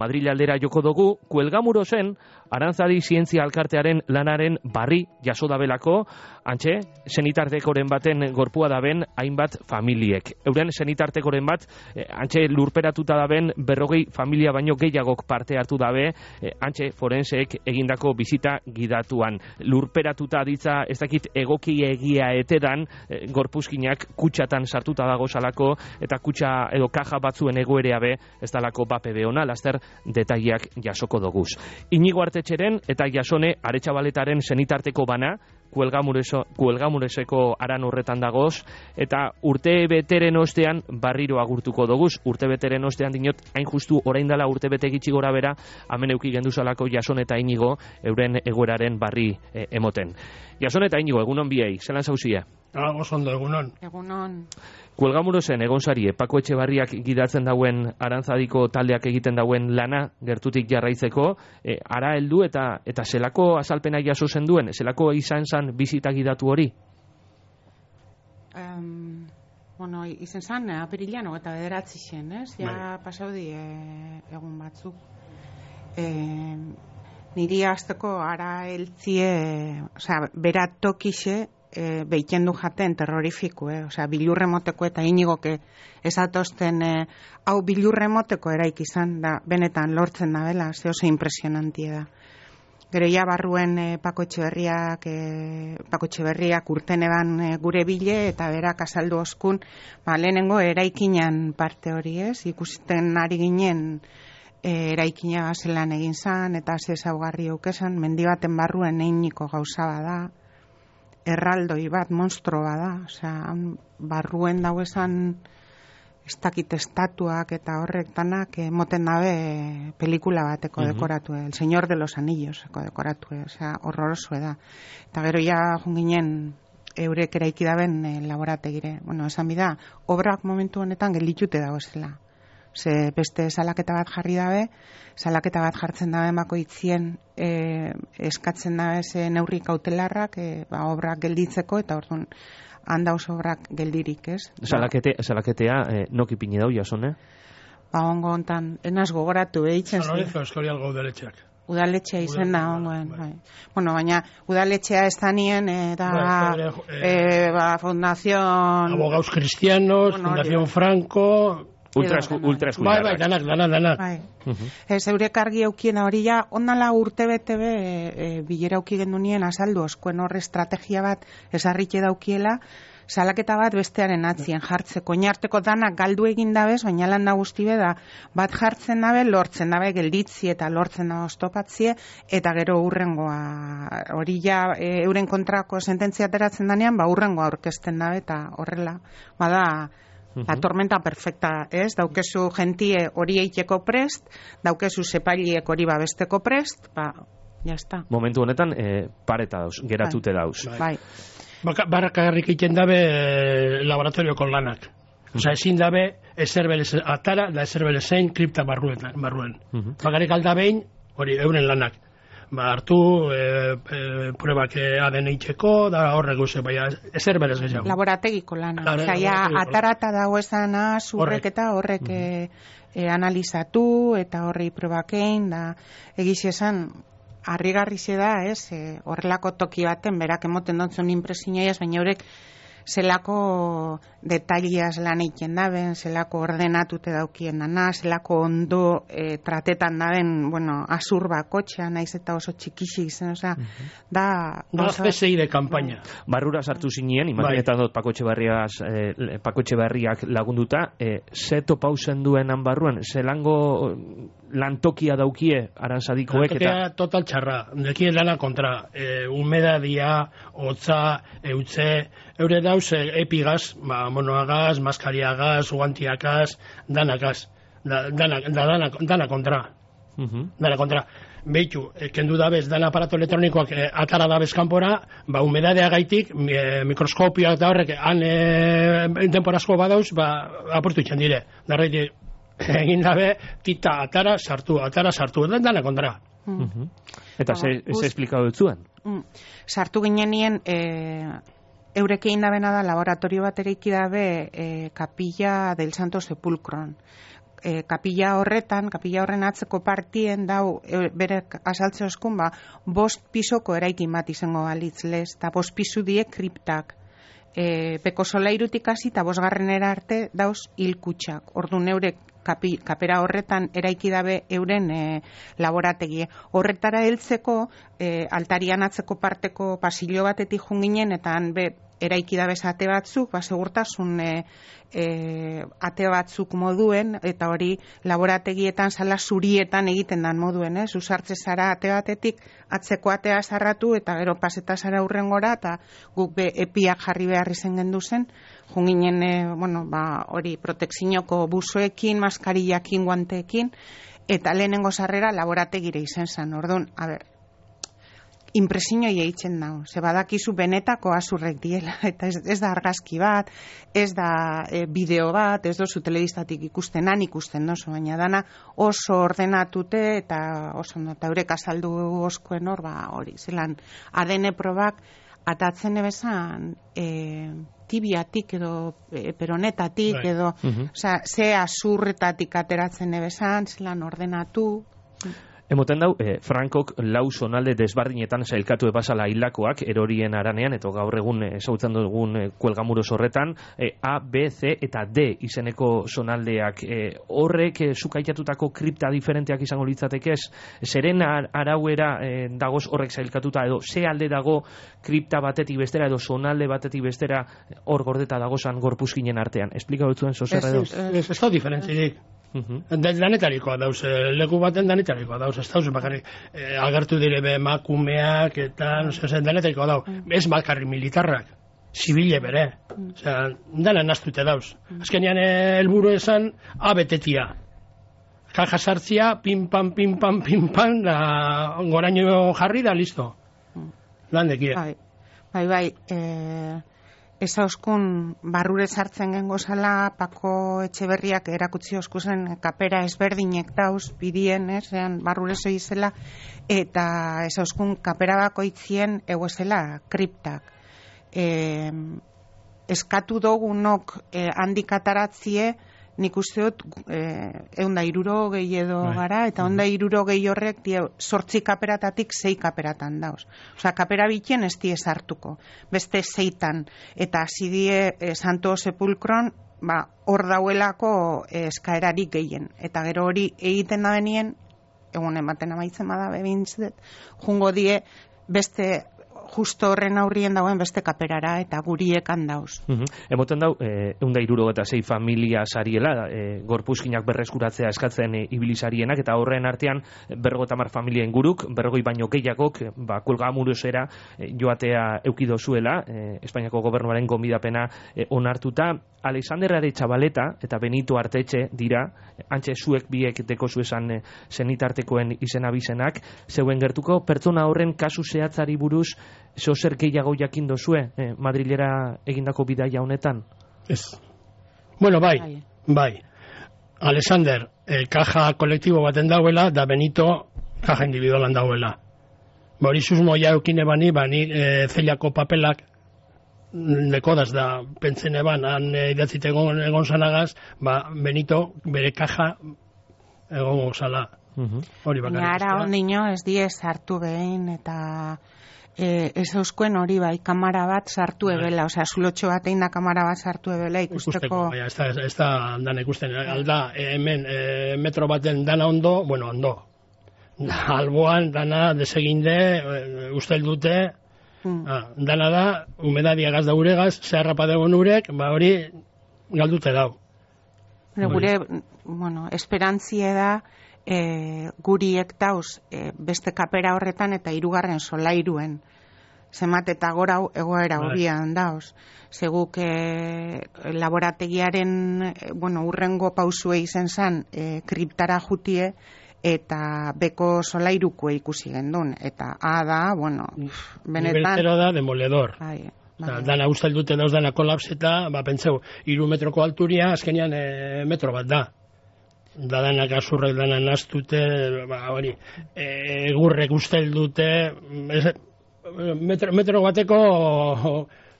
Madrid aldera joko dugu, Kuelgamurosen Arantzadi Zientzia Alkartearen lanaren barri jaso dabelako, antxe, senitartekoren baten gorpua daben hainbat familiek. Euren senitartekoren bat, antxe lurperatuta daben 40 familia baino gehiagok parte hartu dabe, antxe forenseek egindako bizita gidatuan. Lurperatuta ditza, ez dakit egoki egia etedan, gorpuzkinak kutsatan sartuta dago salako, eta kutsa edo kaja batzuen egoerea be, ez dalako bape beona, laster detaileak jasoko doguz. Inigo Artetxeren eta Jasone Aretxabaletaren senitarteko bana, Kuelgamureseko aran horretan dagoz, eta urte beteren ostean barriro agurtuko doguz. Urte beteren ostean dinot, hain justu orain dela urte bete gitxi gora bera, hemen euki genduzalako Jasone eta Inigo euren egoeraren barri emoten. Jasone eta Inigo, egunon biei, zelan zauzie? Oso ondo, egunon. Egunon. Kuelgamurosen egon sarie, Pako Etxebarriak gidatzen dauen Arantzadiko taldeak egiten dauen lana gertutik jarraitzeko, ara heldu eta zelako azalpena jaso zen duen, zelako izan zan bizita gidatu hori? Bueno, izen zan, apirilan eta 9 zen, ez? Ja pasaudi egun batzuk. Niri hasteko ara heltzie, bera tokixe, behiken du jaten terrorifiku, bilurremoteko eta Inigoke esatosten hau bilurremoteko eraik izan da, benetan lortzen da bela, oso impresionantie da. Gero ja barruen Pako Etxeberriak urten eban gure bile eta berak azaldu oskun, lehenengo eraikinan parte hori ez, ikusten ari ginen eraikina zelan egin zan eta ze ezaugarri eukesan, mendi baten barruen Iniko gauza bada, erraldoi bat, monstro bada, barruen dauezan ez dakit estatuak eta horrek danak moten dabe pelikula bateko dekoratu, El Señor de los Anillos dekoratu, horroroso da. Eta gero ja junginen eurek eraiki daben laborategire. Bueno, esan bida, obrak momentu honetan gelditute dagoezela. Ze beste salaketa bat jarri dabe, salaketa bat jartzen dabe bakoitzien eskatzen dabe ze neurri kautelarrak obrak gelditzeko eta orduan handauz obrak geldirik, ez? Salaketea noki pini dau, Jasone? Ongo hontan, enaz gogoratu behitzen zen. Euskal udaletxeak. Udaletxea izen da, ongoen. Bueno, baina udaletxea ez da nien, Fundación... Abogados Cristianos, Fundación Franco... Ultra Bai, danak. Ez eurek argi eukiena hori ja, ondala urte bete bilera auki gendunien azaldu oskoen horre estrategia bat esarritxe daukiela, salaketa bat bestearen atzien jartzeko, oinarteko danak galdu egin dabez, baina lan da guzti beda, bat jartzen dabe, lortzen dabe gelditzi eta lortzen da oztopatzie, eta gero urrengoa, hori ja euren kontrako sententzia ateratzen danean, urrengoa aurkezten dabe, eta horrela, bada, la tormenta perfecta, ez? Daukezu gentie hori eiteko prest, daukezu sepailiek hori babesteko prest, ya está. Momentu honetan, pareta dauz, geratute dauz. Bai. Barrakarrik egiten dabe laboratorioko lanak. Ezin dabe, ezerbelez atara, da ezerbelez zein kripta barruen. Bakarrik aldabein, hori euren lanak. Hartu pruebak ADN itxeko, da horrek guze, baina ezer berez gehiago. Laborategiko lana. Atarata dago esana, zurrek eta horrek analizatu, eta horrei probakein, da egiz esan, harrigarri da, horrelako toki baten, berak emoten dontzun impresinaiaz, baina horrek zelako detaileaz lan egiten daben, zelako ordenatute daukien dana, zelako ondo tratetan daben, azur bakotxa, naiz eta oso txikixik zen, da... PSI de kampaina. Barrura sartu zinien, imaginetan dut Pako Etxebarriak lagunduta, ze topauzen duenan barruan, zelango lantokia daukie Arantzadikoek eta... Lantokia total txarra, dekien lana kontra, humedadia, hotza, eutze, eure dauz epigaz, monoagaz, maskariagaz, guantiagaz, danagaz, dana kontra. Dana kontra. Beitu, kendu dabez, dan aparato elektronikoak atara dabez kanpora, humedadea gaitik, mikroskopioak da horrek, han temporazko badauz, aportu itxan dire. Darreiti, egin dabe, tita atara sartu, dana kontra. Eta ze esplikau dut zuen? Sartu ginenien... Eurek egin dabena da, laboratorio bat eraiki dabe Capilla del Santo Sepulcron. kapilla horren atzeko partien dau, bere asaltze oskun, 5 pisoko eraikin bat izango balitz lez, eta 5 pisu die kriptak. Beko solairutik hasi eta 5. arte dauz hilkutxak. Ordu neure kapera horretan eraiki dabe euren laborategie. Horretara heltzeko altarian atzeko parteko pasillo batetik junginen, eta han eraiki dabe ate batzuk, segurtasun ate batzuk moduen, eta hori laborategietan sala zurietan egiten dan moduen, usartze zara ate batetik, atzeko atea zarratu, eta gero paseta zara hurrengora, eta guk epiak jarri behar izen gendu zen, junginen, hori protekzinoko buzoekin, maskarillakin, guanteekin, eta lehenengo sarrera laborategire izen zen. Orduan, impresiñoi eitzen dago, ze badakizu benetako azurrek diela, eta ez da argazki bat, ez da bideo bat, ez dozu telebistatik ikusten dozu, baina dana oso ordenatute eta oso eta eurek azaldu oskoen hori, zelan ADN probak atatzen ebezan tibiatik edo peronetatik edo, ze azurretatik ateratzen ebezan, zelan ordenatu. Emoten dau, Frankok 4 zonalde desbardinetan sailkatu ebasala hilakoak erorien aranean, eta gaur egun esautzen dugun kuelgamuros horretan, A, B, C eta D izeneko zonaldeak. Horrek zukaitatutako kripta diferenteak izango litzateke ez? Zeren arauera dagoz horrek sailkatuta, edo ze alde dago kripta batetik bestera, edo zonalde batetik bestera hor gordeta dagozan gorpuzkinen artean? Esplika dutzuen zozerra edo? Ez da diferentzirik. Danetarikoa dauz, leku baten danetarikoa dauz, ez dauz, bakarrik agertu dire emakumeak eta danetarikoa dauz, ez bakarrik militarrak, zibile bere, dana naztute dauz. Azkenean helburu esan abetetia, kaja sartzia, pim-pam, goraino jarri da, listo. Landekie. Bai, ez hauskun barrure sartzen gengo zala, Pako Etxeberriak erakutsi oskuzen kapera ezberdinek dauz, bidien, barrure zoizela, eta ez hauskun kapera bakoitzien egoezela kriptak. Eskatu dogunok handik ataratzie, nik uste dut 160 edo gara, eta 160 horrek 8 kaperatatik 6 kaperatan dauz. Osa, kapera bitien ez die sartuko, beste 6tan, eta hasi die Santo Sepulkron, hor dauelako eskaerarik gehien. Eta gero hori egiten da benien, egun ematen amaitzen bada bebintzet, jungo die beste justo horren aurrien dagoen beste kaperara eta guriekan dauz. Emoten dau, 166 familia sariela, gorpuzkinak berreskuratzea eskatzen ibilizarienak, eta horren artean 50 familia inguruk, 40 baino gehiagok, kuelgamurosera joatea eukido zuela, Espainiako gobernuaren gonbidapena onartuta. Alexander Aretxabaleta eta Benito Artetxe dira, antxe zuek biek deko zuesan zenitartekoen izena bizenak, zeuen gertuko pertsona horren kasu zehatzari buruz zer gehiago jakin dozue Madrilera egindako bidaia honetan? Ez. Bueno, bai. Alexander, kaja kolektibo baten dauela, da Benito kaja individualan dauela. Hori susmoia eukine bani zelako papelak lekodaz da pentzen eban, han idatzite egon zanagaz, Benito bere kaja egon zala. Hori bakarrik. Ara ondino ez die sartu behin, eta ez euskuen hori kamara bat sartu ebela, osea, zulotxo bat egin da kamara bat sartu ebela ikusteko. Ez da dana ikusten, alda, hemen metro baten dana ondo, alboan dana deseginde, ustel dute, dana da, humedadia gaz da uregaz, zeharrapa degon urek, hori galdute dau. Gure, esperantzie da, guriek dauz beste kapera horretan eta 3. solairuen. Zemat eta gora egoera horian dauz. Seguk laborategiaren urrengo pausue izen zan kriptara jutie eta beko solairuko ikusi gendun. Eta da, benetan... Niveltero da demoledor. Dana ustel dute dauz dana kolapseta, pentseu, 3 metroko alturia, azkenean metro bat da. Danak azurrek danan naztute, hori, egurrek ustel dute, metro bateko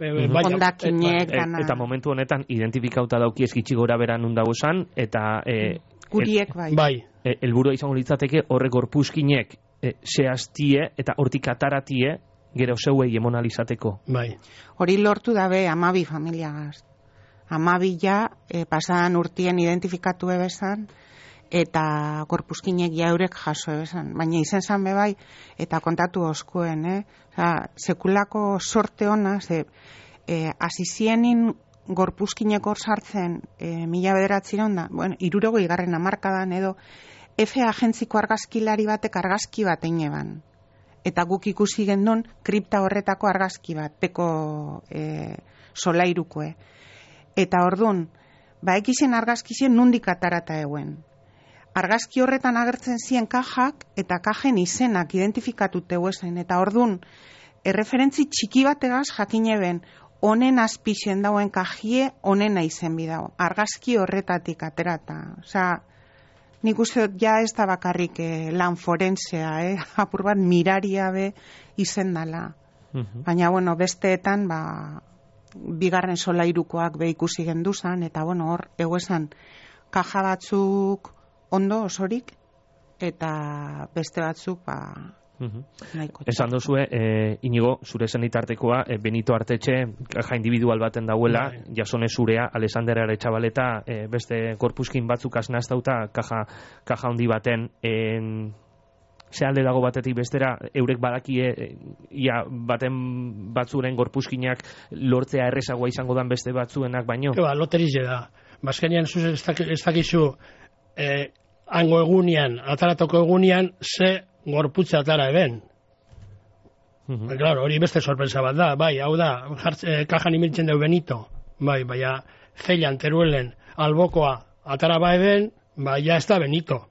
ondakinek dana. Eta momentu honetan identifikauta dauki eskitsi gora beran undagozan, eta guriek bai. Bai. Helburua izango litzateke horrek gorpuzkinek zehaztie eta hortik ataratie gero zeuei emonalizateko. Bai. Hori lortu dabe 12 familiagaz. 12 ja pasadan urtien identifikatu ebezan, eta gorpuzkinek jaurek jaso ebezan. Baina izen zan bai, eta kontatu oskuen, sekulako sorte hona, azizienin gorpuzkinek hor sartzen 1900 da, bueno, 60 hamarkadan edo, F agentziko argazkilari batek argazki bat eineban. Eta guk ikusi gendun kripta horretako argazki bat, peko solairukoe. Eta ordun, ekizien argazkizien nundik atarata eguen. Argazki horretan agertzen ziren kajak eta kajen izenak identifikatute huezen. Eta ordun, erreferentzi txiki bategaz jakine ben, honen azpixen dauen kajie, honena izen bidau. Argazki horretatik aterata. Osea, nik uste ja ez da bakarrik lan forensea, apur bat miraria be izen dala. Baina, bueno, besteetan, bigarren solairukoak be ikusi genduzan, eta, bueno, hor, eguesan, kaja batzuk ondo osorik, eta beste batzuk, nahiko. Esan dozue, Inigo, zure zenitartekoa, Benito Artetxe, kaja individual baten dauela, Jasone zurea, Alexander Aretxabaleta, beste korpuskin batzuk aznaztauta, kaja handi baten, ze alde dago batetik bestera, eurek badakie, baten batzuren gorpuzkinak lortzea errezagoa izango dan beste batzuenak baino? Loterize da. Bazkenean, ez dakizu, hango egunean, ataratoko egunean, ze gorputza atara eben. Claro, hori beste sorpresa bat da, bai, hau da, kajan imiltzen deu Benito, bai, baina zeilan, teruelen, albokoa atara ba eben, ja ez da Benito.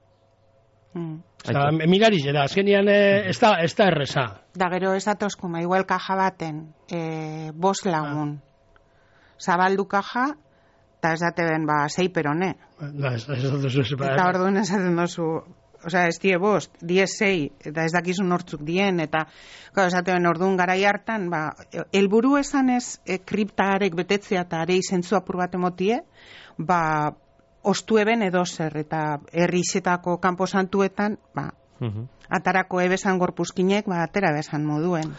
Mirarize da, azkenean ez da erreza. Da gero ez datozkuma, igual kaja baten, 5 lagun. Zabaldu kaja, eta ez date ben, 6 perone. Eta orduan esaten dozu, osea, ez die 5, 6, eta ez dakizun hortzuk dien, eta esaten orduan garai hartan, helburu esan ez kriptaarek betetzea eta arei zentzu apur bat emotie, ostu eben edo zer, eta herrizetako kanpo santuetan, atarako ebesan gorpuzkinek, atera besan moduen.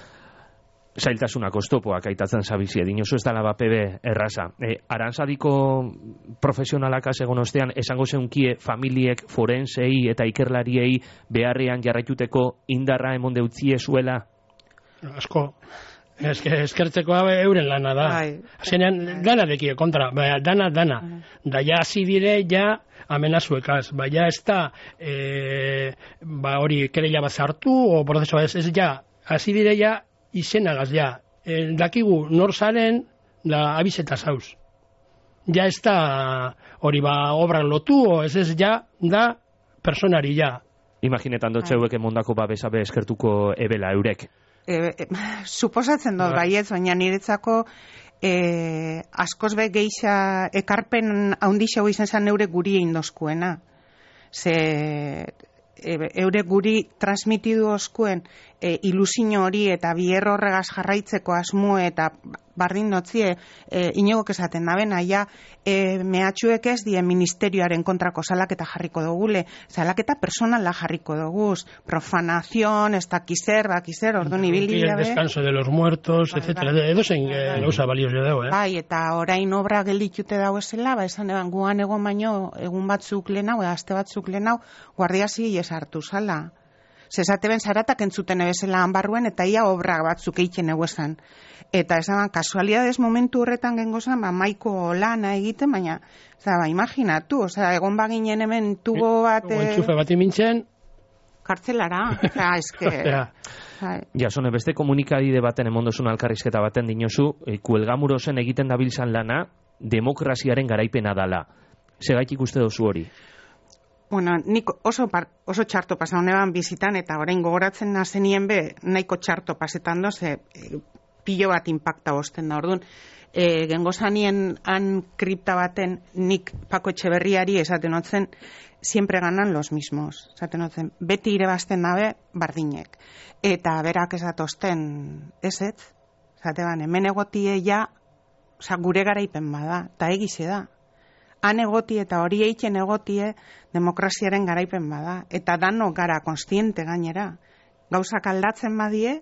Zailtasunak oztopoak aitatzen zabizie, dinosu ez dala bapebe erraza. Arantzadiko profesionalak egon ostean, esango zeunkie familiek, forensei eta ikerlariei beharrean jarraituteko indarra emon deutzie zuela? Asko. Eskertzeko euren lana da. Azkenean, dana dekie kontra, dana. Da ja hasi dire, ja amenazuekaz. Ja ez da, hori kereila bat zartu, o prozesoa ez ja, hasi dire ja izenagaz, ja. Dakigu nor zaren, da abizeta zauz. Ja ez da hori obran lotu, o ez ja, da personari, ja. Imaginetan dotzeuek emondako besabe eskertuko ebela eurek. Suposatzen dut baietz, baina niretzako askoz be geixa ekarpen haundixau izan zen eure guri indoskuena. Ze eure guri transmitidu oskuen ilusio hori eta bier horregaz jarraitzeko asmo eta bardin dotzie inogok esaten daben, aia mehatxuek ez die ministerioaren kontrako salaketa jarriko dugule, salaketa personala jarriko duguz, profanazion, ez dakizer, orduan ibili dabe. El descanso de los muertos, etcétera, edo zen gauza balioz dago, Bai, eta orain obra gelditute dago esela, esan eban guan egon baino, egun batzuk lehenau, aste batzuk lehenau, guardia zibili esartu zala. Zesate ben zaratak entzuten ebezela hanbarruen, eta ia obra batzuk eitzen eguesan. Eta esan, kasualidades momentu horretan gengozan, maiko lana egiten, baina, imaginatu, egon baginen hemen tubo bat... Entxufe bat imintzen... Kartzelara, eske... Jasone, beste komunikabide baten emondozun alkarrizketa baten dinozu, Kuelgamurosen egiten dabiltzan lana, demokraziaren garaipena dala. Segaitik uste dozu hori? Bueno, nik oso txarto pasa honeban bizitan, eta orain gogoratzen nazenien be, nahiko txarto pasetan doze, pilo bat impacta osten da, orduan. Gengozanien han kripta baten nik Pako Etxeberriari esaten otzen, siempre ganan los mismos. Esaten otzen, beti irebazten dabe bardinek. Eta berak esatosten eset, esaten hemen egotie ja, gure garaipen bada, eta egize da. han egoti eta hori eitzen egotie demokraziaren garaipen bada. Eta danok gara konstiente gainera. Gauzak aldatzen badie,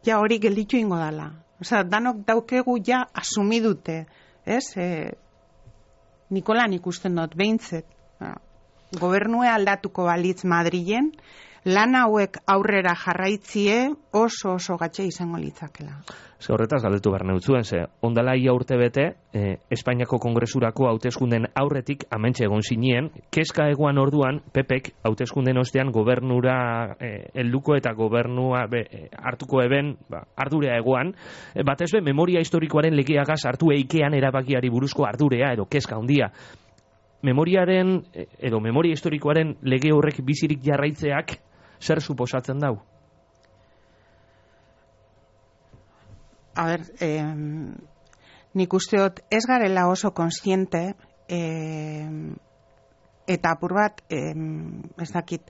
ja hori gelditu ingo dala. Osea, danok daukegu ja asumidute, ez? Nikolan ikusten dut, behintzet. Gobernue aldatuko balitz Madrilen, lan hauek aurrera jarraitzie oso gatxe izango litzakela. Ze horretaz galdetu behar neutzuen, ze ondala ia urte bete, Espainiako Kongresurako hauteskunden aurretik amentxe egon zinien, kezka eguan orduan, Pepek hauteskunden ostean gobernura helduko eta gobernua hartuko eben, ardurea egoan, batez be, memoria historikoaren legeagaz hartu eikean erabakiari buruzko ardurea edo kezka handia. Memoriaren edo memoria historikoaren lege horrek bizirik jarraitzeak zer suposatzen dau? A ber, nik usteot ez garela oso konstiente eta apur bat ez dakit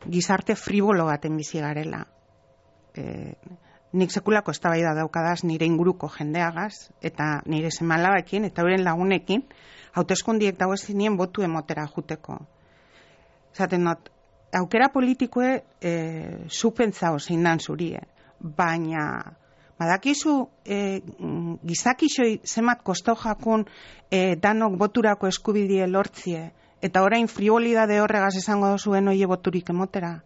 gizarte fribolo baten bizi garela. Nik sekulako eztabaida daukadaz nire inguruko jendeagaz eta nire seme-alabekin eta euren lagunekin hauteskundiek dago zinien botu emotera juteko. Zaten dut, aukera politikoe zupentzao zein dan zurie, baina badakizu gizakixoi zemat kosto jakun danok boturako eskubidie lortzie eta orain frivolidade horregaz esango dozuen oie boturik emotera.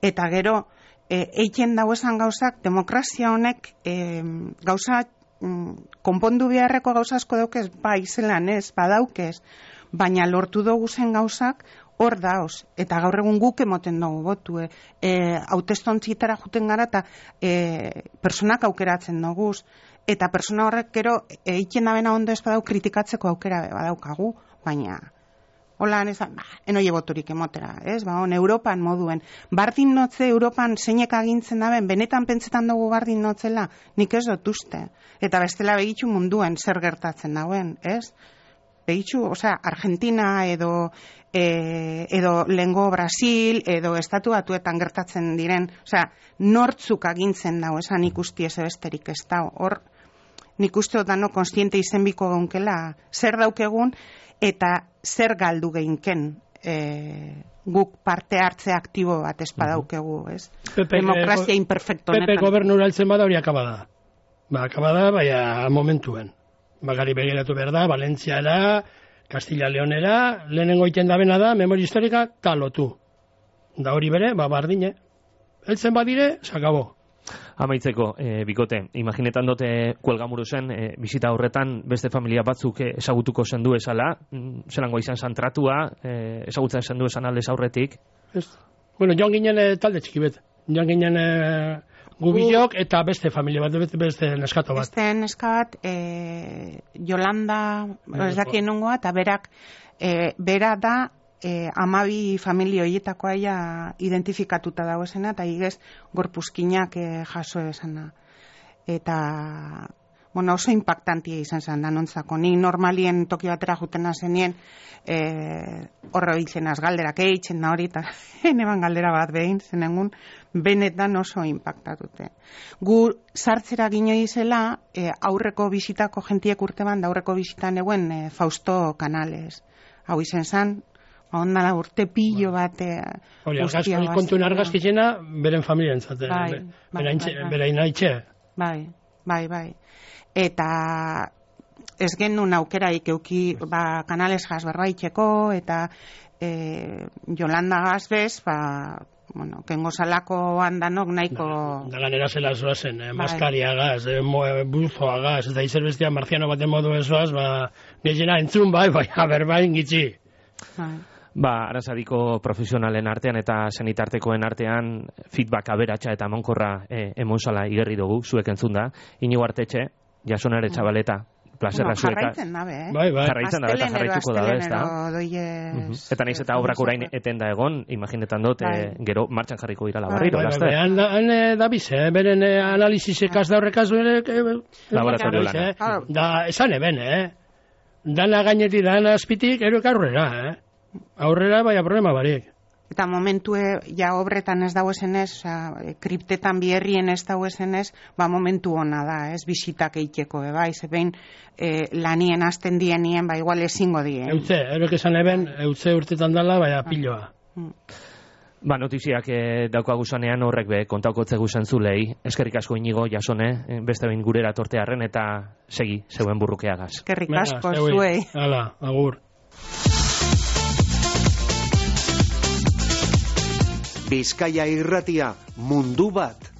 Eta gero, eiken dago esan gauzak, demokrazia honek gauza konpondu beharreko gauza asko daukez, bai zelan ez, badaukez, baina lortu dugu zen gauzak hor dauz, eta gaur egun guk emoten dugu botu, hautestontzitara juten gara eta personak aukeratzen dugu, eta persona horrek gero eiken abena ondo ez badau kritikatzeko aukera badaukagu, baina hola, enoie boturik emotera, ez? Europan moduen. Bardin notze Europan zeinek agintzen daben, benetan pentsetan dugu bardin notzela, nik ez dut uste. Eta bestela begitxu munduen zer gertatzen dauen, ez? Begitxu, Argentina edo lengo Brasil edo estatu batuetan gertatzen diren, nortzuk agintzen dago, esan ikusti ez besterik ez dago. Hor, nik uste dano konstiente izenbiko gaunkela, zer daukegun, eta zer galdu geinken guk parte hartze aktibo bat espadaukegu, ez? Demokrazia imperfecto honetan. Pepe gobernura altzen bada hori akabada. Akabada, baina momentuen. Bagari begiratu behar da, Valentziara, Castilla-Leonera, lehenengo iten dabena da, memoria historika, talotu. Da hori bere, bardine. Eltzen badire, sakabo. Amaitzeko, bikote, imaginetan dute Kuelgamuruzen, bizita horretan beste familia batzuk ezagutuko zendu esala, zelango izan zantratua, ezagutzen zendu esan aldez aurretik? Bueno, joan ginen talde txiki bet. Joan ginen gubilok eta beste familia bat, beste neskato bat. Beste neska bat, Yolanda, ez dakien nungoa, eta berak, bera da, 12 familia horietako aia identifikatuta dago esena, eta igez gorpuzkinak jaso esana. Eta, oso impactantia izan zen danontzako. Ni normalien toki batera jutena zenien, horre biltzenaz galderak eitzen da hori, eta eneban galdera bat behin, zenengun, benetan oso impactatute. Gu sartzera gino izela, aurreko bizitako jentiek urteban, da aurreko bizitan eguen Fausto Canales. Hau izen zen, ondala urte pillo bat hori, kontuen argazkitzena beren familien zaten, berain haitxe. Bai. Eta ez genuen aukeraik euki Canales gaz berbaitxeko, eta Yolanda gaz bez, kengo salako handanok nahiko... Da ganera zela zoazen, maskaria gaz, buzoa gaz, eta izer bestia marziano baten modu ezoaz, gehiena entzun berbain gitzi. Aranzadiko profesionalen artean eta senitartekoen artean feedback aberatsa eta emankorra emonsala igerri dugu, zuek entzun da. Inigo Artetxe, jasonare txabaleta, plazerra zueka. Jarraitzen dabe, Jarraitzen dabe eta jarraituko dabe, ez da? Eta nahiz eta obrak orain eten da egon, imaginetan dut, gero martxan jarriko irala barriro, laster. Han dabiz, beren analizizekaz da horrekaz laboratorio lana. Da, esan eben, dana gainetik, dana azpitik, erok aurrera, aurrera, baina problema barik. Eta momentue, ja obretan ez dago esenez, kriptetan biherrien ez dago esenez, momentu ona da, ez, bisitak eiteko, bai, zebein lanien azten dienien, igual ezingo dien. Eutze, erok esan eben, eutze urtetan dala, piloa. Notiziak daukagu zanean horrek be kontaukotze guzen zulei. Eskerrik asko Inigo, Jasone, beste behin gurera tortearren eta segi, zeuen burrukeagaz. Eskerrik asko, zuei. Hala, agur. Bizkaia Irratia, mundu bat.